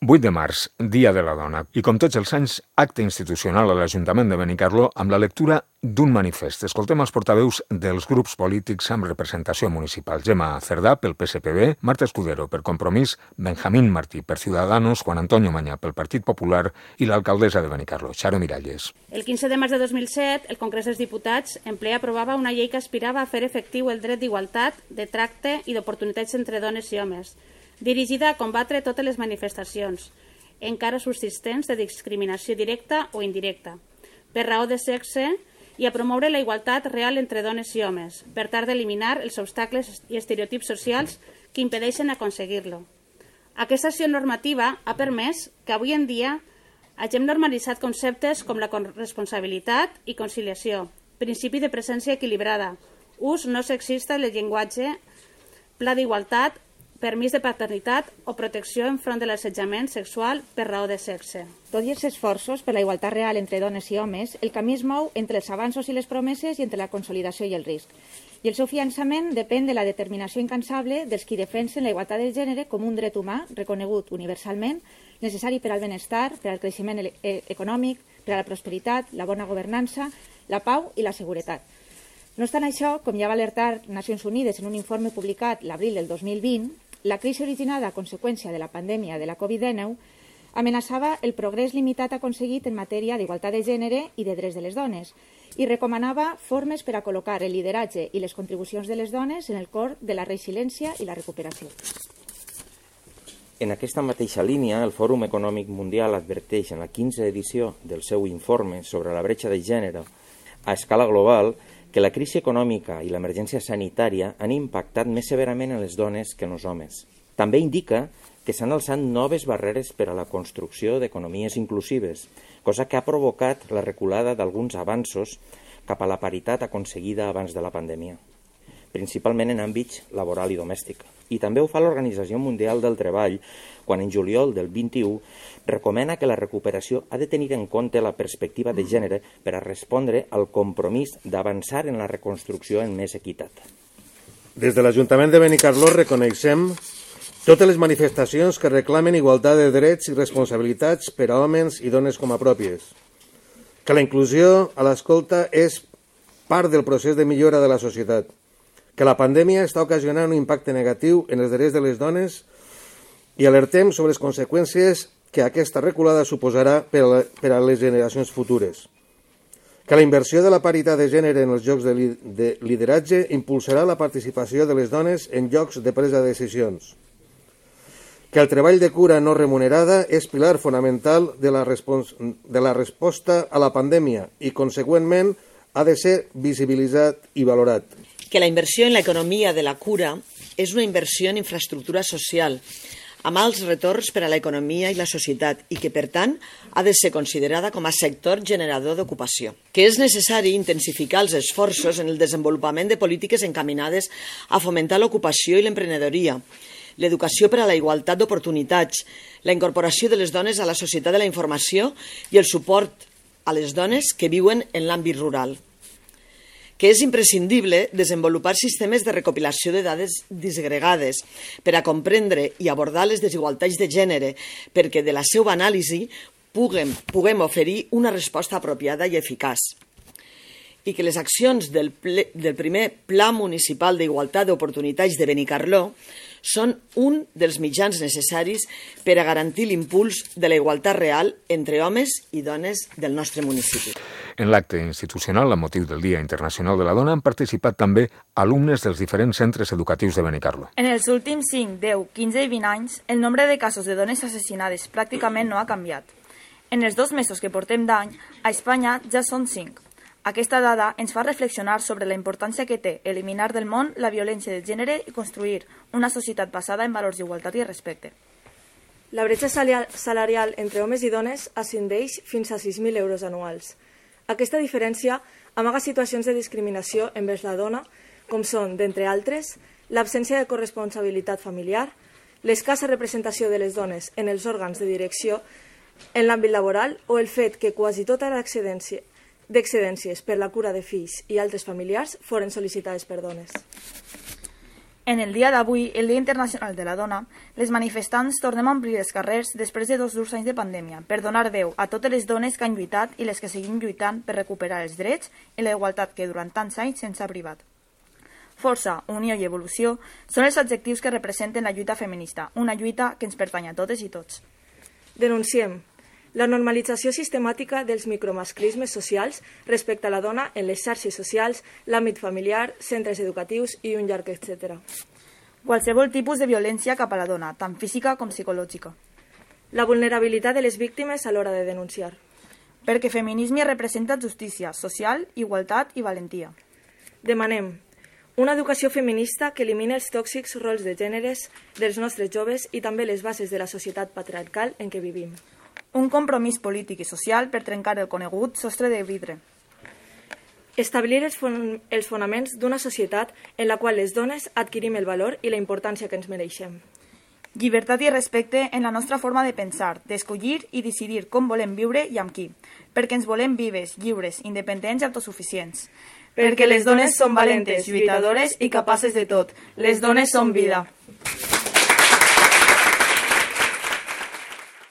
8 de març, Dia de la Dona, i com tots els anys, acte institucional a l'Ajuntament de Benicarló amb la lectura d'un manifest. Escoltem els portaveus dels grups polítics amb representació municipal. Gemma Cerdà, pel PSPB, Marta Escudero, per Compromís, Benjamín Martí, per Ciudadanos, Juan Antonio Mañá, pel Partit Popular i l'alcaldessa de Benicarló, Charo Miralles. El 15 de març de 2007, el Congrés dels Diputats en ple aprovava una llei que aspirava a fer efectiu el dret d'igualtat, de tracte i d'oportunitats entre dones i homes, dirigida a combatre totes les manifestacions, encara subsistents de discriminació directa o indirecta, per raó de sexe, i a promoure la igualtat real entre dones i homes, per tal d'eliminar els obstacles i estereotips socials que impedeixen aconseguir-lo. Aquesta acció normativa ha permès que avui en dia hagin normalitzat conceptes com la corresponsabilitat i conciliació, principi de presència equilibrada, ús no sexista del llenguatge, pla d'igualtat, permís de paternitat o protecció enfront de l'assetjament sexual per raó de sexe. Tot i els esforços per la igualtat real entre dones i homes, el camí es mou entre els avanços i les promeses i entre la consolidació i el risc. I el seu finançament depèn de la determinació incansable dels qui defensen la igualtat de gènere com un dret humà reconegut universalment, necessari per al benestar, per al creixement econòmic, per a la prosperitat, la bona governança, la pau i la seguretat. No obstant això, com ja va alertar Nacions Unides en un informe publicat l'abril del 2020, la crisi originada a conseqüència de la pandèmia de la Covid-19 amenaçava el progrés limitat aconseguit en matèria d'igualtat de gènere i de drets de les dones i recomanava formes per a col·locar el lideratge i les contribucions de les dones en el cor de la resiliència i la recuperació. En aquesta mateixa línia, el Fòrum Econòmic Mundial adverteix en la 15a edició del seu informe sobre la bretxa de gènere a escala global que la crisi econòmica i l'emergència sanitària han impactat més severament en les dones que en els homes. També indica que s'han alçat noves barreres per a la construcció d'economies inclusives, cosa que ha provocat la reculada d'alguns avanços cap a la paritat aconseguida abans de la pandèmia, principalment en àmbits laboral i domèstic. I també ho fa l'Organització Mundial del Treball, quan en juliol del 21 recomana que la recuperació ha de tenir en compte la perspectiva de gènere per a respondre al compromís d'avançar en la reconstrucció en més equitat. Des de l'Ajuntament de Benicarló reconeixem totes les manifestacions que reclamen igualtat de drets i responsabilitats per a homes i dones com a pròpies, que la inclusió a l'escolta és part del procés de millora de la societat, que la pandèmia està ocasionant un impacte negatiu en els drets de les dones i alertem sobre les conseqüències que aquesta reculada suposarà per a les generacions futures, que la inversió de la paritat de gènere en els llocs de lideratge impulsarà la participació de les dones en llocs de presa de decisions, que el treball de cura no remunerada és pilar fonamental de la resposta a la pandèmia i, conseqüentment, ha de ser visibilitzat i valorat. Que la inversió en l'economia de la cura és una inversió en infraestructura social, amb alts retorns per a l'economia i la societat i que, per tant, ha de ser considerada com a sector generador d'ocupació. Que és necessari intensificar els esforços en el desenvolupament de polítiques encaminades a fomentar l'ocupació i l'emprenedoria, l'educació per a la igualtat d'oportunitats, la incorporació de les dones a la societat de la informació i el suport a les dones que viuen en l'àmbit rural. Que és imprescindible desenvolupar sistemes de recopilació de dades disgregades per a comprendre i abordar les desigualtats de gènere perquè de la seva anàlisi puguem oferir una resposta apropiada i eficaç. I que les accions del primer Pla Municipal d'Igualtat d'Oportunitats de Benicarló són un dels mitjans necessaris per a garantir l'impuls de la igualtat real entre homes i dones del nostre municipi. En l'acte institucional, amb motiu del Dia Internacional de la Dona, han participat també alumnes dels diferents centres educatius de Benicarló. En els últims 5, 10, 15 i 20 anys, el nombre de casos de dones assassinades pràcticament no ha canviat. En els 2 mesos que portem d'any, a Espanya ja són 5. Aquesta dada ens fa reflexionar sobre la importància que té eliminar del món la violència de gènere i construir una societat basada en valors d'igualtat i respecte. La bretxa salarial entre homes i dones ascendeix fins a 6.000 euros anuals. Aquesta diferència amaga situacions de discriminació envers la dona, com són, d'entre altres, l'absència de corresponsabilitat familiar, l'escassa representació de les dones en els òrgans de direcció en l'àmbit laboral o el fet que quasi tota d'excedències per la cura de fills i altres familiars foren sol·licitades per dones. En el dia d'avui, el Dia Internacional de la Dona, les manifestants tornem a omplir els carrers després de 2 durs anys de pandèmia per donar veu a totes les dones que han lluitat i les que seguim lluitant per recuperar els drets i la igualtat que durant tants anys se'ns ha privat. Força, unió i evolució són els adjectius que representen la lluita feminista, una lluita que ens pertany a totes i tots. Denunciem la normalització sistemàtica dels micromasclismes socials respecte a la dona en les xarxes socials, l'àmbit familiar, centres educatius i un llarg etcètera. Qualsevol tipus de violència cap a la dona, tant física com psicològica. La vulnerabilitat de les víctimes a l'hora de denunciar. Perquè feminisme representa justícia social, igualtat i valentia. Demanem una educació feminista que elimini els tòxics rols de gèneres dels nostres joves i també les bases de la societat patriarcal en què vivim. Un compromís polític i social per trencar el conegut sostre de vidre. Establir els fonaments d'una societat en la qual les dones adquirim el valor i la importància que ens mereixem. Llibertat i respecte en la nostra forma de pensar, d'escollir i decidir com volem viure i amb qui, perquè ens volem vives, lliures, independents i autosuficients. Perquè les dones són valentes, lluitadores i capaces de tot. Les dones són vida.